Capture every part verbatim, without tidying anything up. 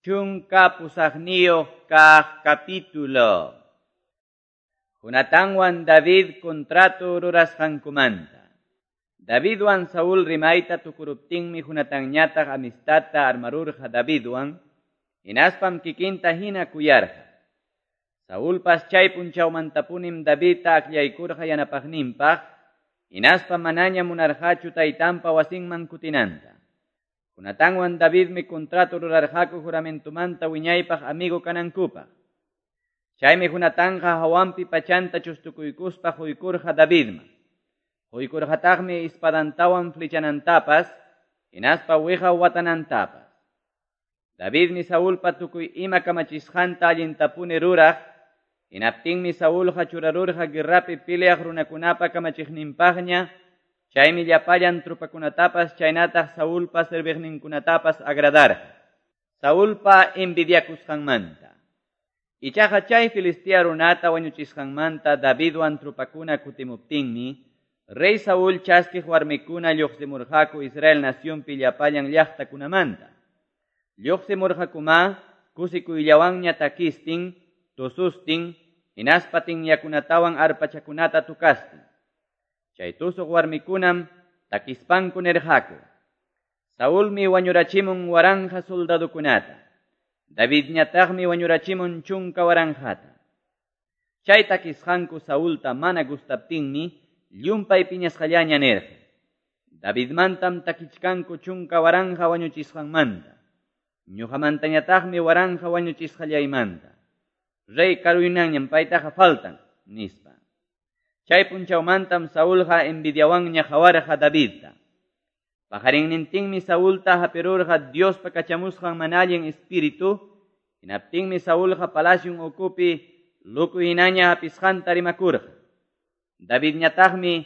Chunka pusaqniyuq kaq capítulo. Jonatanwan David contrato rurasqankumanta. Davidwan Saúl rimayta tukuruptinmi Jonatanñataq amistadta armarurqa Davidwan, hinaspam kikinta hina kuyarqa. Saulpas chay punchawmantapunim Davidta akllaykurqa yanapaqninpaq, hinaspa manaña munarqachu taytanpa wasinman kutinanta. Jonatanwan Davidmi contrato rurarqaku juramentumanta wiñaypaq amigo kanankupaq. Chaymi Jonatanqa hawanpi pachanta chustukuykuspa huykurqa Davidman. Huykurqataqmi espadantawan flechanantapas, hinaspa wiqa watanantapas. Davidmi Saulpa tukuy ima kamachisqanta allintapuni ruraq, hinaptinmi Saulqa churarurqa guerrapi peleaq runakunapa kamachiqninpaqña, chaymi llapallan trupakunatapas chaynataq Saulpa serviqninkunatapas agradarqa. Saulpa envidiakusqanmanta. Ichaqa chay Filistea runata wañuchisqanmanta Davidwan trupakuna kutimuptinmi, rey Saúl chaskiq warmikuna lluqsimurqaku Israel nacionpi llapallan llaqtakunamanta. Lluqsimurqakuma kusikuyllawanña takistin, tusustin, hinaspa tinyakunatawan arpachakunata tukastin. Chay tusuq warmikunam takispanku nirqaku: Saulmi wañurachimun waranja soldadukunata, Davidñataqmi wañurachimun chunka waranjata. Chay takisqanku Saulta mana gustaptinmi llumpay piñasqallaña nirqa: Davidmantam takichkanku chunka waranja wañuchisqanmanta, ñuqamantañataqmi waranja wañuchisqallaymanta. Rey karuynanñam paytaqa faltan, nispa. Chay punchawmantam Saulqa envidiawanña qawarqa Davidta. Pajarinnintinmi Saulta hapirurqa Diospa kachamusqan mana allin espíritu, hinaptinmi Saulqa palacion ukupi luku hinaña hapisqanta rimakurqa. Davidñataqmi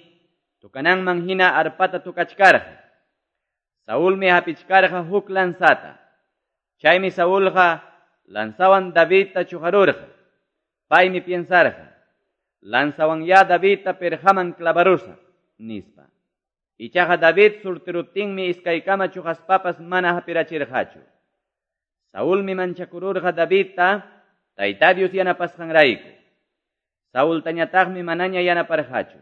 tukananman hina arpata tukachkarqa. Saulmi hapichkarqa huk lanzata. Chaymi Saulqa lanzawan Davidta chuqarurqa. Paymi piensarqa: lanzawan ya Davidta perqaman clavarusaq, nispa. Ichaqa David surtiruptinmi iskaykama chuqaspapas mana hapirachirqachu. Saulmi manchakururqa Davidta Tayta Dios yanapasqanrayku. Saultañataqmi manaña yanaparqachu.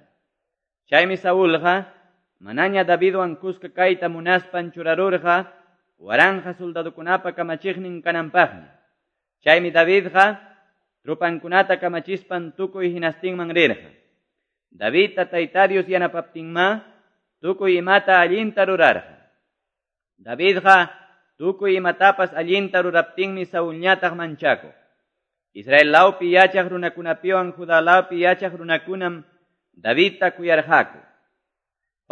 Chaymi Saulqa manaña Davidwan kuska kayta munaspan churarurqa waranja soldadukunapa kamachiqnin kananpaqmi. Chaymi Davidqa trupankunata kamachispan tukuy hinastinman rirqa. Davidta Tayta Dios yanapaptinma tukuy imata allinta rurarqa. Davidqa tukuy imatapas allinta ruraptinmi Saulñataq manchakuq. Israel lawpi yachaq runakunapiwan Judá lawpi yachaq runakunam Davidta kuyarqaku.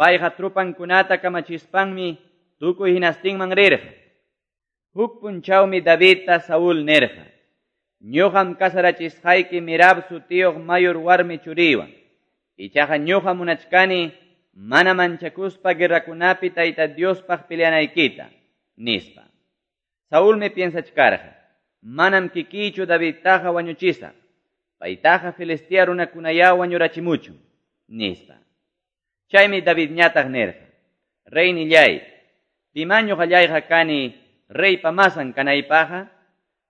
Payqa trupankunata kamachispanmi tukuy hinastinman rirqa. Huk punchawmi Davidta Saúl nirqa: ñuqam kasarachisqayki Merab sutiyuq mayor warmi churiwan. Ichaqa ñuqa munachkani mana manchakuspa guerrakunapi Tayta Diospaq peleanaykita, nispa. Saulmi piensachkarqa: manam kikiychu Davidtaqa wañuchisaq, paytaqa Filistea runakunayá wañurachimuchun, nispa. Chaymi Davidñataq nirqa: Reynillay, pimá ñuqallayqa kani reypa masan kanaypaqqa?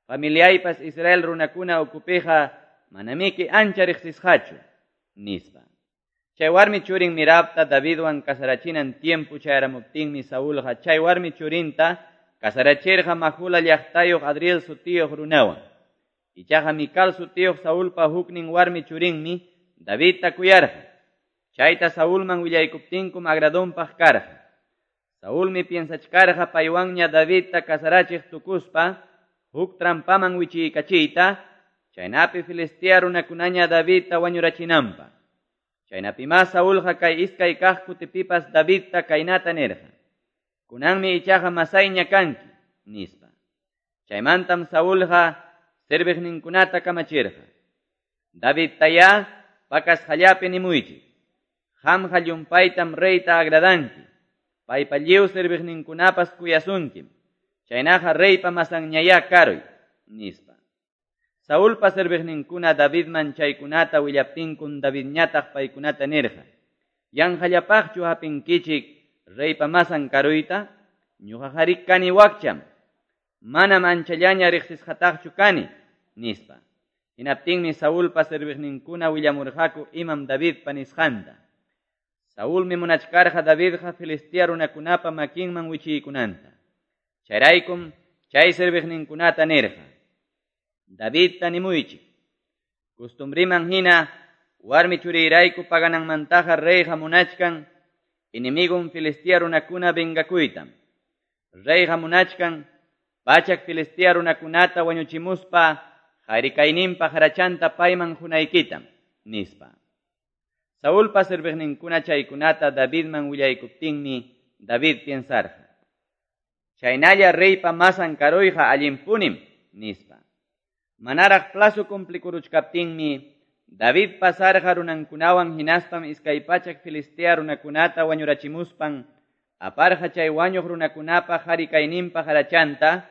Familiaypas Israel runakuna ukupiqa manamiki ancha riqsisqachu, nispa. Chay warmi churin Merabta Davidwan kasarachinan tiempo chayaramuptinmi Saulqa chay warmi churinta kasarachirqa Majula llaqtayuq Adriel sutiyuq runawan. Ichaqa Mical sutiyuq Saulpa huknin warmi churinmi Davidta kuyarqa. Chayta Saulman willaykuptinkum agradonpaq karqa. Saulmi piensachkarqa paywanña Davidta kasarachiq tukuspa huk trampaman wichiykachiyta, chaynapi Filistea runakunaña Davidta wañurachinanpaq. Chaynapimá Saulqa kay iskay kaq kutipipas Davidta kaynata nirqa: kunanmi ichaqa masayña kanki, nispa. Chaymantam Saulqa serviqninkunata kamachirqa: Davidtayá pakasqallapi nimuychik: qamqa llumpaytam reyta agradanki, paypa lliw serviqninkunapas kuyasunkim, chaynaqa reypa masanñayá karuy, nispa. Saulpa serviqninkuna Davidman chaykunata willaptinkun Davidñataq paykunata nirqa: yanqallapaqchu hapinkichik reypa masan karuyta? Ñuqaqari kani wakcham. Manam anchallaña riqsisqataqchu kani, nispa. Hinaptinmi Saulpa serviqninkuna willamurqaku imam Davidpa nisqanta. Saulmi munachkarqa Davidqa Filistea runakunapa makinman wichiykunanta. Chayraykum chay serviqninkunata nirqa: Davidta nimuychik. Costumbriman hina warmi churiyrayku pagananmantaqa reyqa munachkan enemigun Filistea runakuna vengakuytam. Reyqa munachkan pachak Filistea runakunata wañuchimuspa harikayninpa harachanta payman hunaykitam, nispa. Saulpa serviqninkuna chaykunata Davidman willaykuptinmi David piensarqa: Chaynalla reypa masan karuyqa allinpunim, nispa. Manaraq plazo cumplikuruchkaptinmi David pasarqa runankunawan hinaspam iskay pachak Filistea runakunata wañurachimuspan aparqa chay wañuq runakunapa harikayninpa harachanta,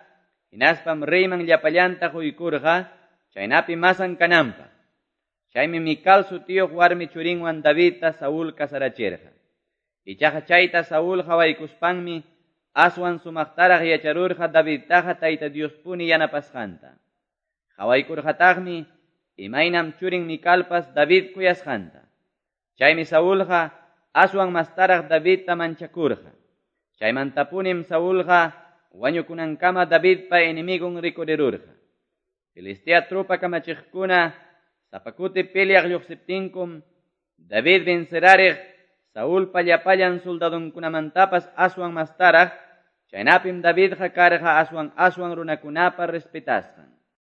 hinaspam reyman llapallanta quykurqa chaynapi masan kananpaq. Chaymi Mical sutiyuq warmi churinwan Davidta Saúl casarachirqa. Ichaqa chayta Saúl hawaykuspanmi aswan sumaqtaraq yacharurqa Davidtaqa Tayta Diospuni yanapasqanta. Hawaykurqataqmi imaynam churin Micalpas David kuyasqanta. Chaymi Saúlqa aswan mastaraq Davidta manchakurqa. Chaymantapunim Saúlqa wañukunankama Davidpa enemigun rikurirurqa. Filistea tropa kamachiqkuna sapakuti peleaq lluqsiptinkum David vencerariq Saúlpa llapallan soldadunkunamantapas aswan mastaraq, chaynapim Davidqa karqa aswan aswan runakunapa respetasqan.